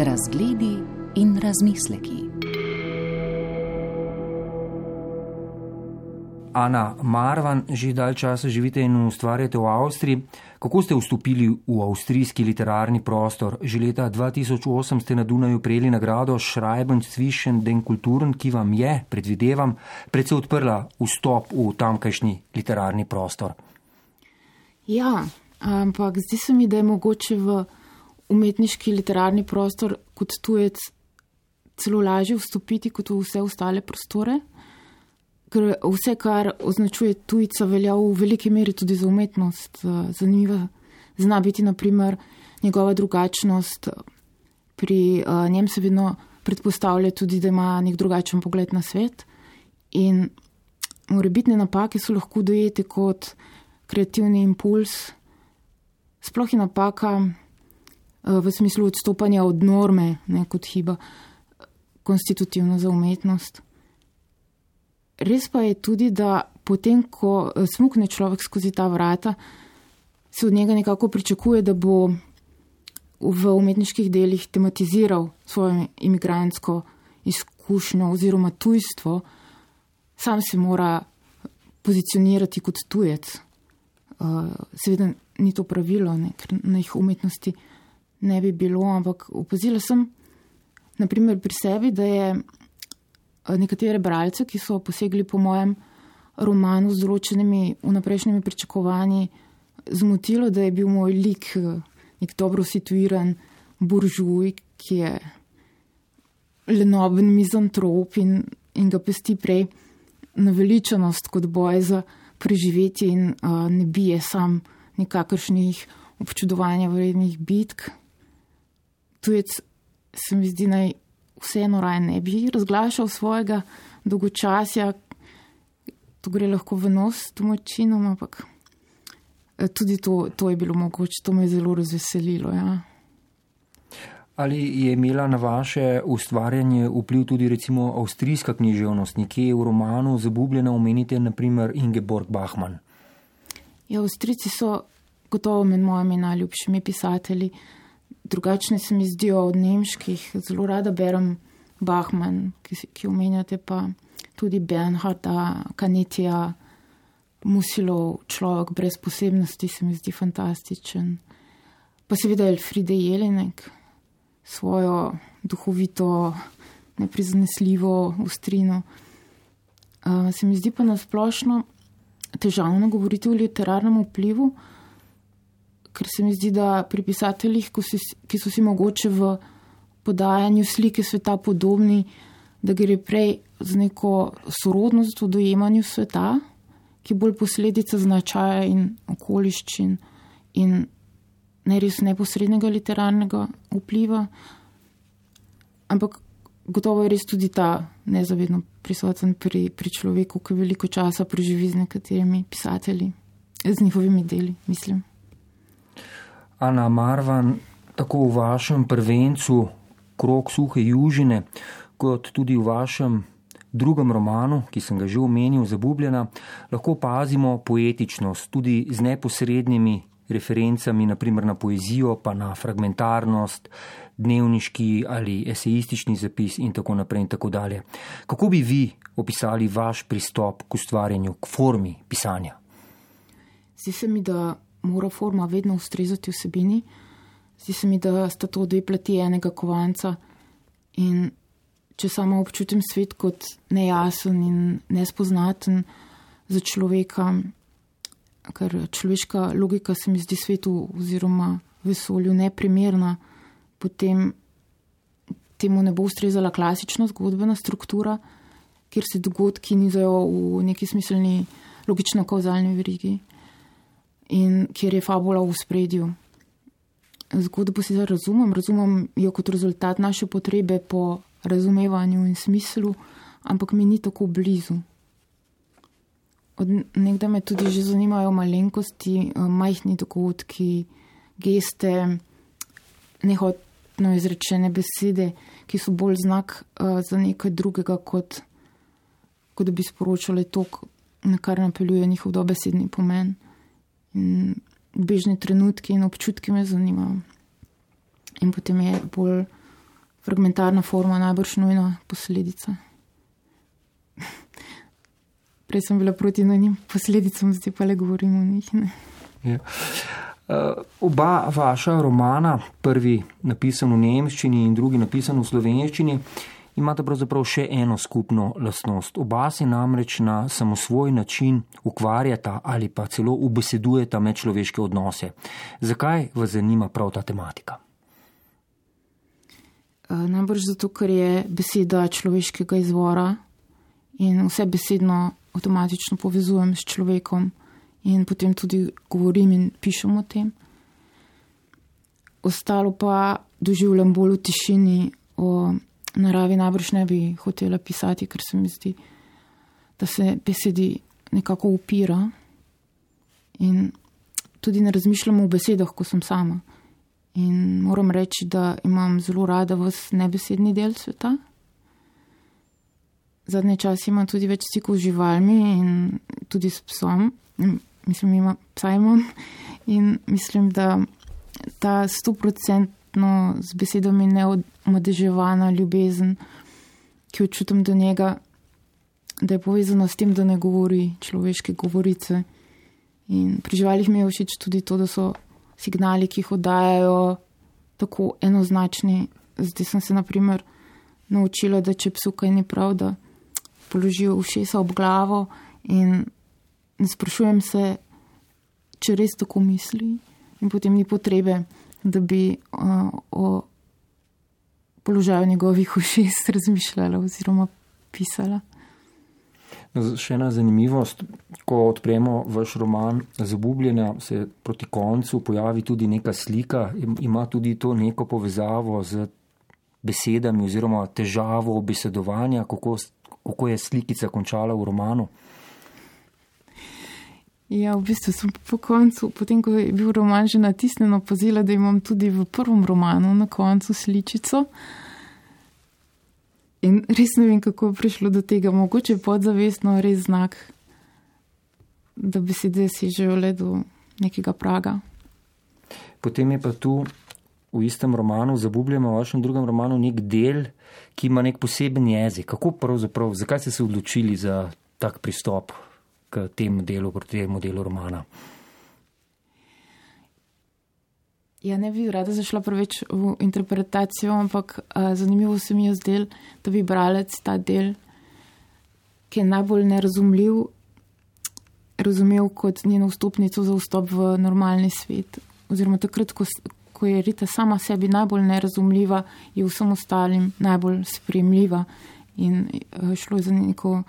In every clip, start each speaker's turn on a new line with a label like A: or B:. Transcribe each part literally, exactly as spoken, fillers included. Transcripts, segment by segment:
A: Razgledi in razmisleki.
B: Ana Marvan, že dalj časa živite in ustvarjate v Avstriji. Kako ste vstopili v avstrijski literarni prostor? Že leta dva tisoč osem ste na Dunaju prejeli nagrado Schreiben zwischen den Kulturen, ki vam je, predvidevam, predvsej odprla vstop v tamkajšnji literarni prostor.
C: Ja, ampak zdi se mi, da je mogoče v umetniški literarni prostor kot tujec celo lažje vstopiti kot v vse ostale prostore. Ker vse, kar označuje tujca, velja v veliki meri tudi za umetnost. Zanimiva zna biti naprimer njegova drugačnost. Pri njem se vedno predpostavlja tudi, da ima nek drugačen pogled na svet. In morebitne napake so lahko dojete kot kreativni impuls. Sploh je napaka v smislu odstopanja od norme, ne kot hiba, konstitutivna za umetnost. Res pa je tudi, da potem, ko smukne človek skozi ta vrata, se od njega nekako pričakuje, da bo v umetniških delih tematiziral svojo imigrantsko izkušnjo oziroma tujstvo. Sam se mora pozicionirati kot tujec. Seveda ni to pravilo, ne, ker na jih umetnosti ne bi bilo, ampak opazila sem naprimer pri sebi, da je nekatere bralce, ki so posegli po mojem romanu z določenimi vnaprejšnjimi pričakovanji, zmotilo, da je bil moj lik nek dobro situiran buržuj, ki je lenoben mizantrop in, in ga pesti prej naveličanost kot boj za preživetje in uh, ne bije sam nekakršnih občudovanja vrednih bitk. Tujec se mi zdi naj vseeno raje ne bi razglašal svojega dolgočasja. To gre lahko v nos domačinom, ampak tudi to, to je bilo mogoče, to me je zelo razveselilo. Ja.
B: Ali je imela na vaše ustvarjanje vpliv tudi recimo avstrijska književnost? Nekje v romanu Zabubljena omenite naprimer Ingeborg Bachmann.
C: Ja, Avstrijci so gotovo med mojimi najljubšimi pisatelji. Drugačne se mi zdijo od nemških. Zelo rada berem Bachmann, ki, ki omenjate, pa tudi Bernharda, Canetija, Musilov, Človek brez posebnosti se mi zdi fantastičen. Pa seveda Elfriede Jelinek, svojo duhovito, neprizanesljivo ostrino. Uh, se mi zdi pa nasplošno težavno govoriti o literarnem vplivu, ker se mi zdi, da pri pisateljih, ki so si mogoče v podajanju slike sveta podobni, da gre prej za neko sorodnost v dojemanju sveta, ki bolj posledica značaja in okoliščin in ne res neposrednega literarnega vpliva. Ampak gotovo je res tudi ta nezavedno prisoten pri, pri človeku, ki veliko časa preživi z nekaterimi pisatelji, z njihovimi deli, mislim.
B: Ana Marvan, tako v vašem prvencu Krog suhe južine, kot tudi v vašem drugem romanu, ki sem ga že omenil, Zabubljena, lahko opazimo poetičnost, tudi z neposrednimi referencami, naprimer na poezijo, pa na fragmentarnost, dnevniški ali esejistični zapis in tako naprej in tako dalje. Kako bi vi opisali vaš pristop k ustvarjanju, k formi pisanja?
C: Zdi se mi, da mora forma vedno ustrezati vsebini. Zdi se mi, da sta to dve plati enega kovanca in če samo občutim svet kot nejasen in nespoznaten za človeka, ker človeška logika se mi zdi svetu oziroma vesolju neprimerna, potem temu ne bo ustrezala klasična zgodbena struktura, kjer se dogodki nizajo v neki smiselni logično-kauzalni verigi in kjer je fabula v spredju. Zgodbo si zdaj razumem, razumem jo kot rezultat naše potrebe po razumevanju in smislu, ampak mi ni tako blizu. Od nekdaj me tudi že zanimajo malenkosti, majhni dogodki, geste, nehotno izrečene besede, ki so bolj znak za nekaj drugega, kot, kot da bi sporočali to, na kar napeljuje njihov dobesedni pomen. In bežne trenutke in občutke me zanimajo. In potem je bolj fragmentarna forma najbrž nujna posledica. Prej sem bila proti nujnim posledicam, zdaj pa le govorim o njih. Ne?
B: Ja. Uh, oba vaša romana, prvi napisan v nemščini in drugi napisan v slovenščini, imata pravzaprav še eno skupno lastnost. Oba se namreč na samosvoj način ukvarjata ali pa celo ubesedujeta medčloveške odnose. Zakaj vas zanima prav ta tematika?
C: Uh, najbrž zato, ker je beseda človeškega izvora in vse besedno avtomatično povezujem s človekom. In potem tudi govorim in pišem o tem. Ostalo pa doživljam bolj v tišini, o naravi najbrž ne bi hotela pisati, ker se mi zdi, da se besedi nekako upira. In tudi ne razmišljam o besedah, ko sem sama. In moram reči, da imam zelo rada vas nebesedni del sveta. Zadnje čas imam tudi več stikov z živalmi in tudi s psom. Mislim, ima, psa imam in mislim, da ta stoprocentno z besedami neomadeževana ljubezen, ki jo čutim do njega, da je povezana s tem, da ne govori človeške govorice. In pri živalih mi je všeč tudi to, da so signali, ki jih oddajajo, tako enoznačni. Zdaj sem se naprimer naučila, da če psu kaj ni prav, da položijo ušesa ob glavo in ne sprašujem se, če res tako misli, in potem ni potrebe, da bi uh, o položaju njegovih ušes razmišljala oziroma pisala.
B: Še ena zanimivost, ko odpremo vaš roman Zabubljena, se proti koncu pojavi tudi neka slika, ima tudi to neko povezavo z besedami oziroma težavo obesedovanja, kako, kako je slikica končala v romanu.
C: Ja, v bistvu sem po koncu, potem ko je bil roman že natisnjen, opazila, da imam tudi v prvem romanu na koncu sličico. In res ne vem, kako je prišlo do tega. Mogoče podzavestno res znak, da besede sežejo le do nekega praga.
B: Potem je pa tu v istem romanu Zabubljeno, v vašem drugem romanu, nek del, ki ima nek poseben jezik. Kako pravzaprav, zakaj ste se odločili za tak pristop k temu delu, proti temu delu romana?
C: Ja, ne bi rada zašla preveč v interpretacijo, ampak uh, zanimivo se mi je zdel, da bi bralec ta del, ki je najbolj nerazumljiv, razumel kot njeno vstopnico za vstop v normalni svet. Oziroma takrat, ko, ko je Rita sama sebi najbolj nerazumljiva, je vsem ostalim najbolj sprejemljiva in uh, šlo je za neko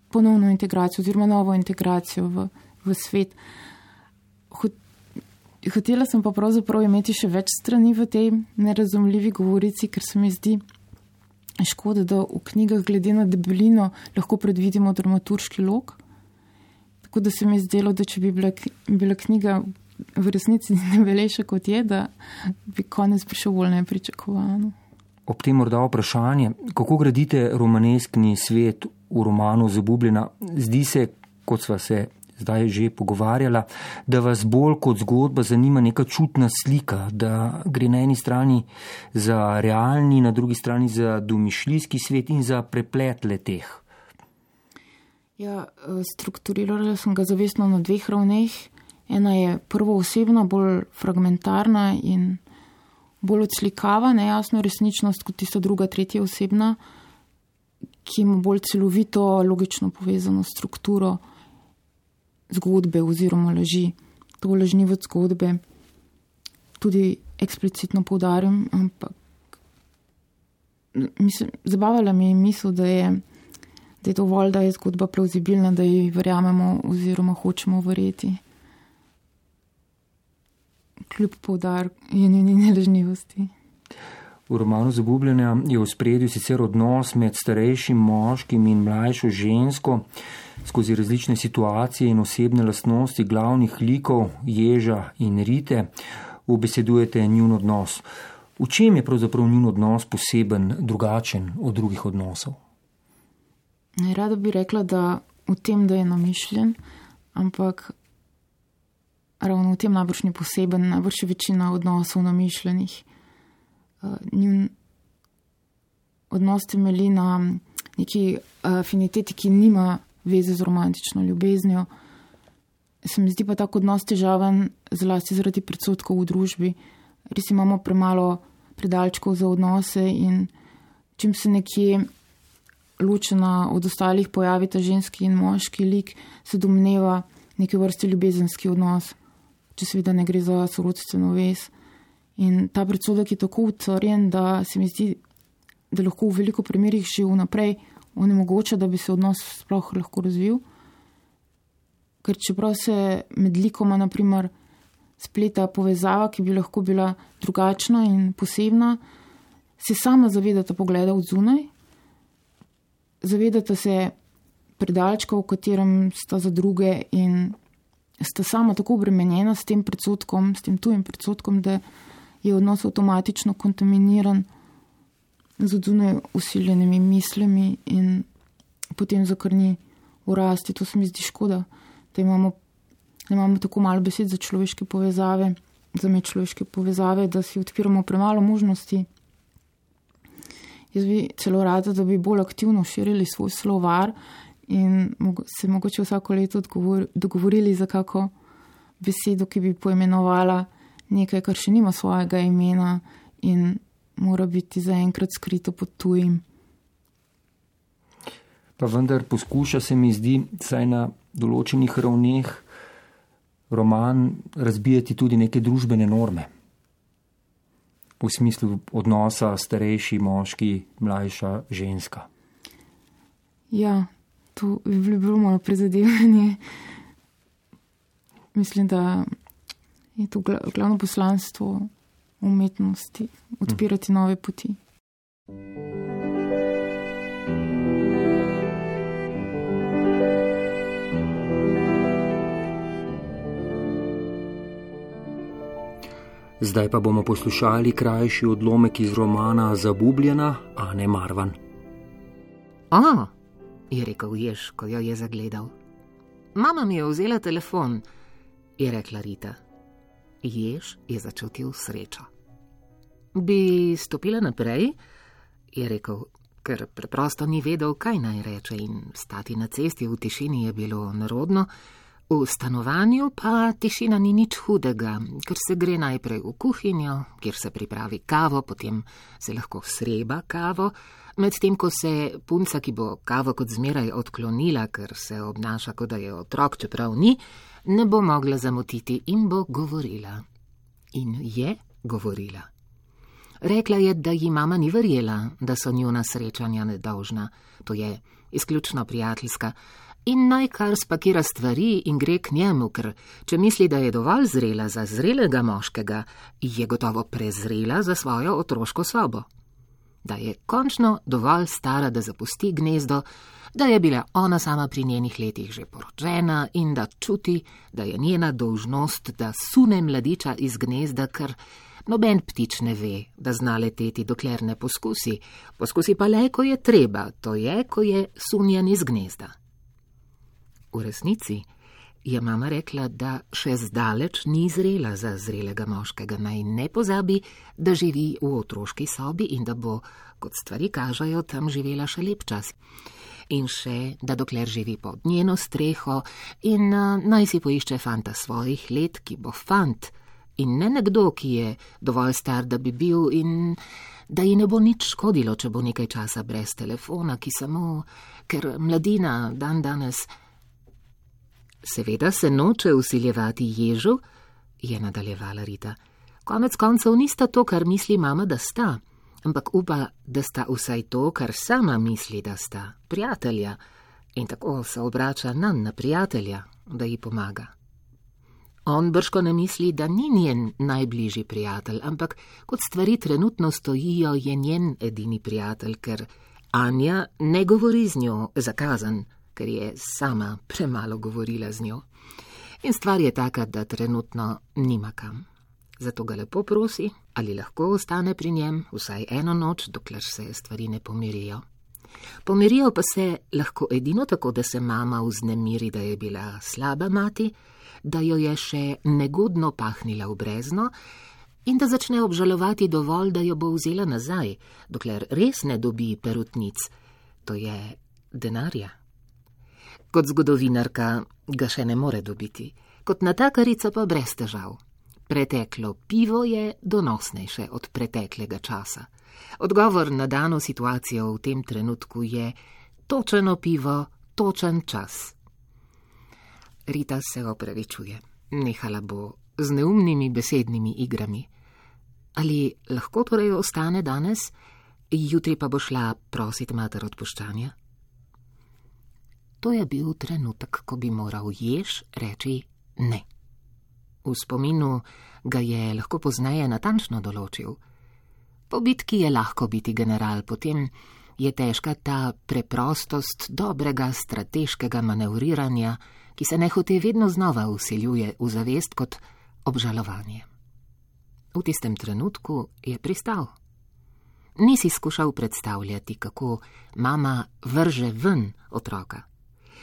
C: ponovno integracijo oziroma novo integracijo v, v svet. Hotela sem pa pravzaprav imeti še več strani v tej nerazumljivi govorici, ker se mi zdi škoda, da v knjigah glede na debelino lahko predvidimo dramaturški lok. Tako da se mi zdelo, da če bi bila, bila knjiga v resnici debelejša kot je, da bi konec prišel bolj nepričakovano.
B: Ob tem morda vprašanje, kako gradite romaneskni svet v romanu Zabubljena? Zdi se, kot sva se zdaj že pogovarjala, da vas bolj kot zgodba zanima neka čutna slika, da gre na eni strani za realni, na drugi strani za domišljijski svet in za preplet leteh.
C: Ja, strukturirala sem ga zavestno na dveh ravneh. Ena je prvoosebna, bolj fragmentarna in bolj odslikava nejasno resničnost kot tista druga, tretja osebna, ki ima bolj celovito, logično povezano strukturo zgodbe oziroma laži. To lažnivost zgodbe tudi eksplicitno poudarim, ampak mislim, zabavala mi je misel, da je, da je dovolj, da je zgodba plauzibilna, da ji verjamemo oziroma hočemo verjeti. Kljub poudarku je njeni nelažnivosti.
B: V romanu Zabubljena je v spredju sicer odnos med starejšim moškim in mlajšo žensko. Skozi različne situacije in osebne lastnosti glavnih likov Ježa in Rite ubesedujete njun odnos. V čem je pravzaprav njun odnos poseben, drugačen od drugih odnosov?
C: Rada bi rekla, da v tem, da je namišljen, ampak ravno v tem najbrž ni poseben, najbrž je večina odnosov namišljenih. Njun odnos temelji na neki afiniteti, ki nima veze z romantično ljubeznijo. Se mi zdi pa tak odnos težaven zlasti zaradi predsodkov v družbi. Res imamo premalo predalčkov za odnose in čim se nekje ločena od ostalih pojavita ženski in moški lik, se domneva neke vrste ljubezenski odnos, če seveda ne gre za sorodstveno vez. In ta predsodek je tako utrjen, da se mi zdi, da lahko v veliko primerih že vnaprej onemogoča, da bi se odnos sploh lahko razvil. Ker čeprav se med likoma, naprimer, spleta povezava, ki bi lahko bila drugačna in posebna, se sama zavedata pogleda od zunaj, zavedata se predalčka, v katerem sta za druge in sta sama tako obremenjena s tem predsodkom, s tem tujim predsodkom, da je odnos avtomatično kontaminiran z od zunaj usiljenimi mislimi in potem zakrni v rasti. To se mi zdi škoda, da imamo, da imamo tako malo besed za človeške povezave, za medčloveške povezave, da si odpiramo premalo možnosti. Jaz bi celo rada, da bi bolj aktivno širili svoj slovar in se mogoče vsako leto dogovorili za kako besedo, ki bi poimenovala nekaj, kar še nima svojega imena in mora biti zaenkrat skrito pod tujim.
B: Pa vendar poskuša se mi zdi, saj na določenih ravneh roman razbijati tudi neke družbene norme. V smislu odnosa starejši moški, mlajša ženska.
C: Ja, to je bilo malo prizadevanje. Mislim, da je to glavno poslanstvo umetnosti, odpirati nove poti.
B: Zdaj pa bomo poslušali krajši odlomek iz romana Zabubljena Ane Marvan.
D: A, je rekel Jež, ko jo je zagledal. Mama mi je vzela telefon, je rekla Rita. Jež je začutil srečo. Bi stopila naprej, je rekel, ker preprosto ni vedel, kaj naj reče in stati na cesti v tišini je bilo nerodno. V stanovanju pa tišina ni nič hudega, ker se gre najprej v kuhinjo, kjer se pripravi kavo, potem se lahko sreba kavo, medtem ko se punca, ki bo kavo kot zmeraj odklonila, ker se obnaša, kot da je otrok, čeprav ni, ne bo mogla zamotiti in bo govorila. In je govorila. Rekla je, da ji mama ni verjela, da so njuna srečanja nedolžna, to je izključno prijateljska, in naj kar spakira stvari in gre k njemu, ker če misli, da je dovolj zrela za zrelega moškega, je gotovo prezrela za svojo otroško sobo. Da je končno dovolj stara, da zapusti gnezdo, da je bila ona sama pri njenih letih že poročena in da čuti, da je njena dolžnost, da sune mladiča iz gnezda, ker noben ptič ne ve, da zna leteti, dokler ne poskusi. Poskusi pa le, ko je treba, to je, ko je sunjen iz gnezda. V resnici je mama rekla, da še zdaleč ni zrela za zrelega moškega, naj ne pozabi, da živi v otroški sobi in da bo, kot stvari kažejo, tam živela še lep čas. In še, da dokler živi pod njeno streho in uh, naj si poišče fanta svojih let, ki bo fant in ne nekdo, ki je dovolj star, da bi bil in da ji ne bo nič škodilo, če bo nekaj časa brez telefona, ki samo, ker mladina dan danes. Seveda se noče vsiljevati Ježu, je nadaljevala Rita. Konec koncev nista to, kar misli mama, da sta, ampak upa, da sta vsaj to, kar sama misli, da sta, prijatelja, in tako se obrača nanj na prijatelja, da ji pomaga. On brško ne misli, da ni njen najbližji prijatelj, ampak kot stvari trenutno stojijo, je njen edini prijatelj, ker Anja ne govori z njo zakazan, ker je sama premalo govorila z njo. In stvar je taka, da trenutno nima kam. Zato ga lepo prosi, ali lahko ostane pri njem vsaj eno noč, dokler se stvari ne pomirijo. Pomirijo pa se lahko edino tako, da se mama vznemiri, da je bila slaba mati, da jo je še negodno pahnila v brezno, in da začne obžalovati dovolj, da jo bo vzela nazaj, dokler res ne dobi perutnic, to je denarja. Kot zgodovinarka ga še ne more dobiti, kot natakarica pa brez težav. Preteklo pivo je donosnejše od preteklega časa. Odgovor na dano situacijo v tem trenutku je točeno pivo, točen čas. Rita se opravičuje. Nehala bo z neumnimi besednimi igrami. Ali lahko torej ostane danes, jutri pa bo šla prosit mater odpuščanja? To je bil trenutek, ko bi moral Jež reči ne. V spominu ga je lahko pozneje natančno določil. Po bitki je lahko biti general, potem je težka ta preprostost dobrega strateškega manevriranja, ki se nehote vedno znova vsiljuje v zavest kot obžalovanje. V tistem trenutku je pristal. Nisi skušal predstavljati, kako mama vrže ven otroka.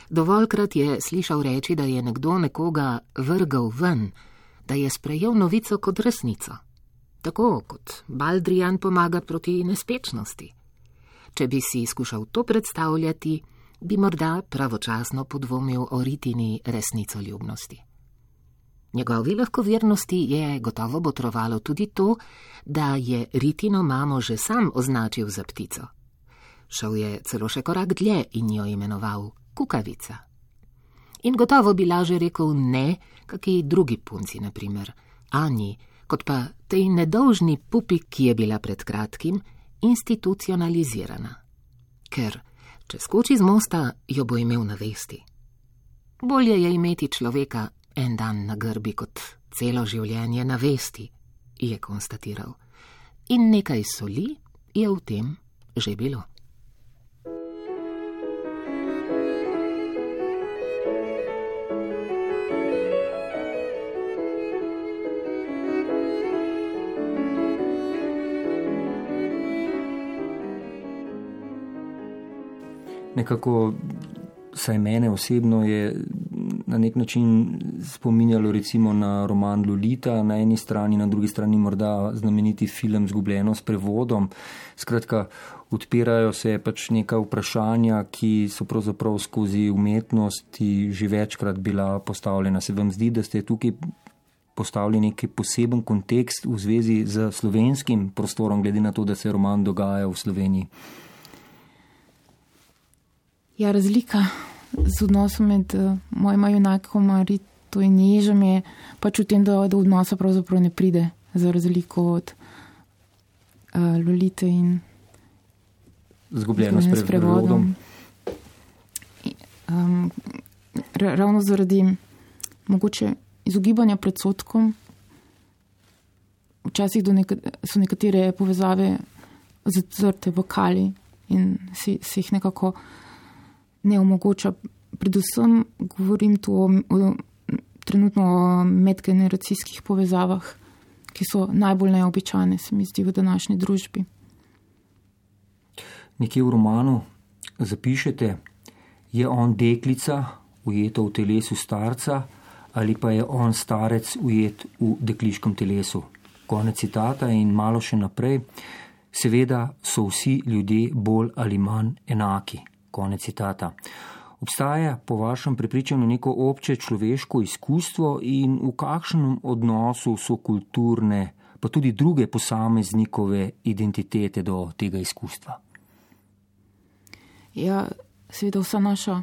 D: Dovoljkrat je slišal reči, da je nekdo nekoga vrgal ven, da je sprejel novico kot resnico. Tako kot baldrijan pomaga proti nespečnosti. Če bi si skušal to predstavljati, bi morda pravočasno podvomil o Ritini resnicoljubnosti. Njegovi lahkovernosti je gotovo botrovalo tudi to, da je Ritino mamo že sam označil za ptico. Šel je celo še korak dlje in jo imenoval kukavica. In gotovo bi laže rekel ne, kaki drugi punci, na primer Anji, kot pa tej nedolžni pupi, ki je bila pred kratkim institucionalizirana. Ker, če skoči z mosta, jo bo imel na vesti. Bolje je imeti človeka en dan na grbi kot celo življenje na vesti, je konstatiral. In nekaj soli je v tem že bilo.
B: Nekako, saj mene osebno je na nek način spominjalo recimo na roman Lolita na eni strani, na drugi strani morda znameniti film Zgubljeno s prevodom. Skratka, odpirajo se pač neka vprašanja, ki so pravzaprav skozi umetnosti že večkrat bila postavljena. Se vam zdi, da ste tukaj postavili neki poseben kontekst v zvezi z slovenskim prostorom, glede na to, da se roman dogaja v Sloveniji?
C: Ja, razlika z odnosom med uh, mojima junakoma Rito in Ježem je pač v tem, da do odnosa pravzaprav ne pride, za razliko od uh, Lolite in
B: Zgubljeno s prevodom.
C: Um, ravno zaradi mogoče izogibanja predsodkom, včasih do neka, so nekatere povezave zatrte v kali in si, si jih nekako ne omogoča. Predvsem govorim tu o, o, trenutno o medgeneracijskih povezavah, ki so najbolj neobičajne, se mi zdi, v današnji družbi.
B: Nekje v romanu zapišete, je on deklica, ujeta v telesu starca, ali pa je on starec, ujet v dekliškem telesu. Konec citata in malo še naprej. Seveda so vsi ljudje bolj ali manj enaki. Konec citata. Obstaja po vašem prepričanju neko obče človeško izkustvo in v kakšnem odnosu so kulturne, pa tudi druge posameznikove identitete do tega izkustva?
C: Ja, seveda vsa naša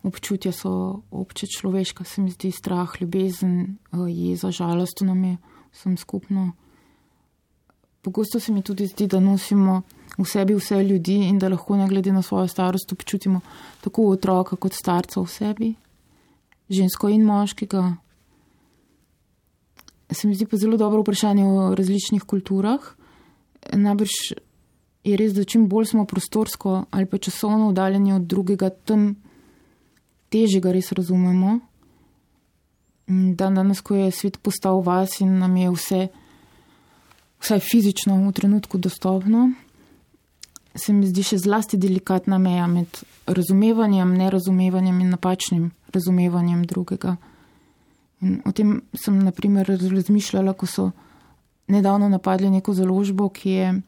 C: občutja so obče človeška, se mi zdi strah, ljubezen, jeza, žalost, nam je vsem skupno. Pogosto se mi tudi zdi, da nosimo v sebi vse ljudi in da lahko ne glede na svojo starost občutimo tako otroka kot starca v sebi, žensko in moškega. Se mi zdi pa zelo dobro vprašanje o različnih kulturah. Najbrž je res, da čim bolj smo prostorsko ali pa časovno oddaljeni od drugega, tem težje ga res razumemo. Dan danes, ko je svet postal vas in nam je vse vsaj fizično v trenutku dostopno, se mi zdi še zlasti delikatna meja med razumevanjem, nerazumevanjem in napačnim razumevanjem drugega. In o tem sem, na primer, razmišljala, ko so nedavno napadli neko založbo, ki je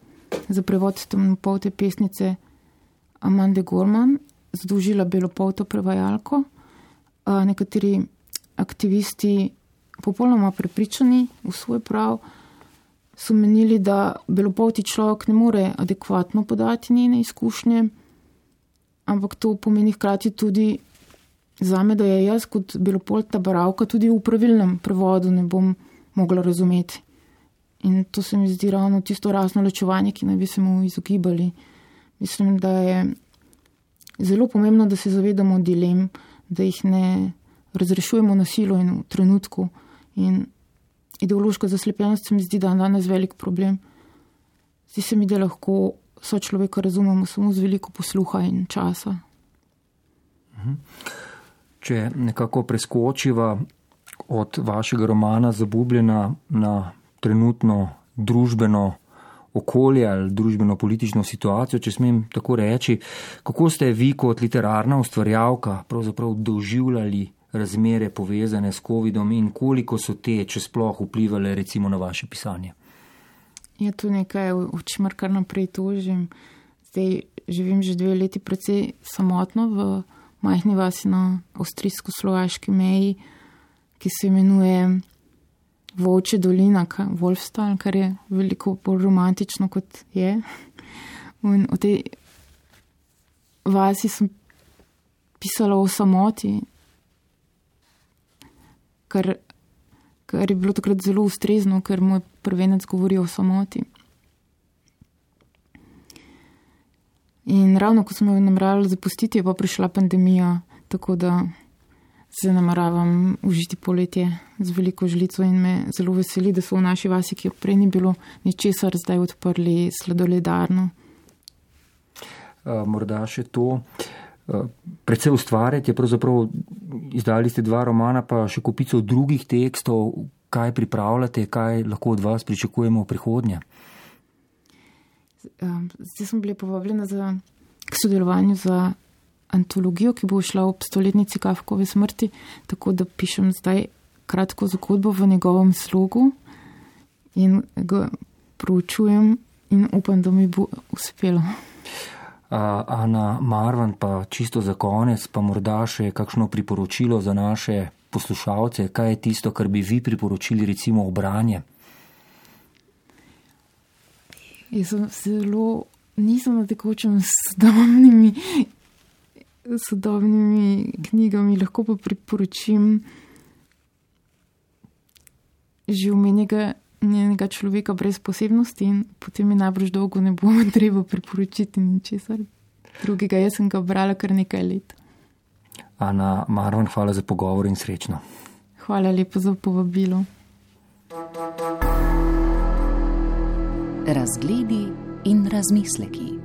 C: za prevod temnopolte pesnice Amande Gorman združila belopolto prevajalko. Nekateri aktivisti, popolnoma prepričani v svoj prav, so menili, da belopolti človek ne more adekvatno podati njene izkušnje, ampak to pomeni hkrati tudi zame, da je jaz kot belopolta bralka tudi v pravilnem prevodu ne bom mogla razumeti. In to se mi zdi ravno tisto rasno ločevanje, ki naj bi se mu izogibali. Mislim, da je zelo pomembno, da se zavedamo dilem, da jih ne razrešujemo na silo in v trenutku. In ideološka zaslepljenost se mi zdi dan danes velik problem. Zdi se mi, da lahko sočloveka razumemo samo z veliko posluha in časa.
B: Če nekako preskočiva od vašega romana Zabubljena na trenutno družbeno okolje ali družbeno-politično situacijo, če smem tako reči, kako ste vi kot literarna ustvarjalka pravzaprav doživljali razmere povezane s covidom in koliko so te, če sploh, vplivale recimo na vaše pisanje?
C: Je to nekaj, o čemer kar naprej tožim. Zdaj živim že dve leti precej samotno v majhni vasi na avstrijsko-slovaški meji, ki se imenuje Volčja dolina, Wolfstal, kar je veliko bolj romantično, kot je. In v tej vasi sem pisala o samoti, kar, kar je bilo takrat zelo ustrezno, ker moj prvenec govori o samoti. In ravno, ko sem jo nameravala zapustiti, je pa prišla pandemija, tako da se nameravam užiti poletje z veliko žlico in me zelo veseli, da so v naši vasi, ki prej ni bilo ničesar, zdaj odprli sladoledarno.
B: Morda še to. Predvsej ustvarjate, pravzaprav izdali ste dva romana, pa še kupico drugih tekstov. Kaj pripravljate, kaj lahko od vas pričakujemo v prihodnje?
C: Zdaj sem bila povabljena za, k sodelovanju za antologijo, ki bo šla ob stoletnici Kafkove smrti, tako da pišem zdaj kratko zgodbo v njegovem slogu in ga proučujem in upam, da mi bo uspelo.
B: Ana Marvan, pa čisto za konec, pa morda še kakšno priporočilo za naše poslušalce, kaj je tisto, kar bi vi priporočili recimo v branje?
C: Jaz sem zelo, nisem na tekočem s sodobnimi, sodobnimi knjigami, lahko pa priporočim že omenjenega njenega človeka brez posebnosti in potem mi najbrž dolgo ne bo treba priporočiti ničesar drugega. Jaz sem ga brala kar nekaj let.
B: Ana Marvan, hvala za pogovor in srečno.
C: Hvala lepo za povabilo.
A: Razgledi in razmisleki.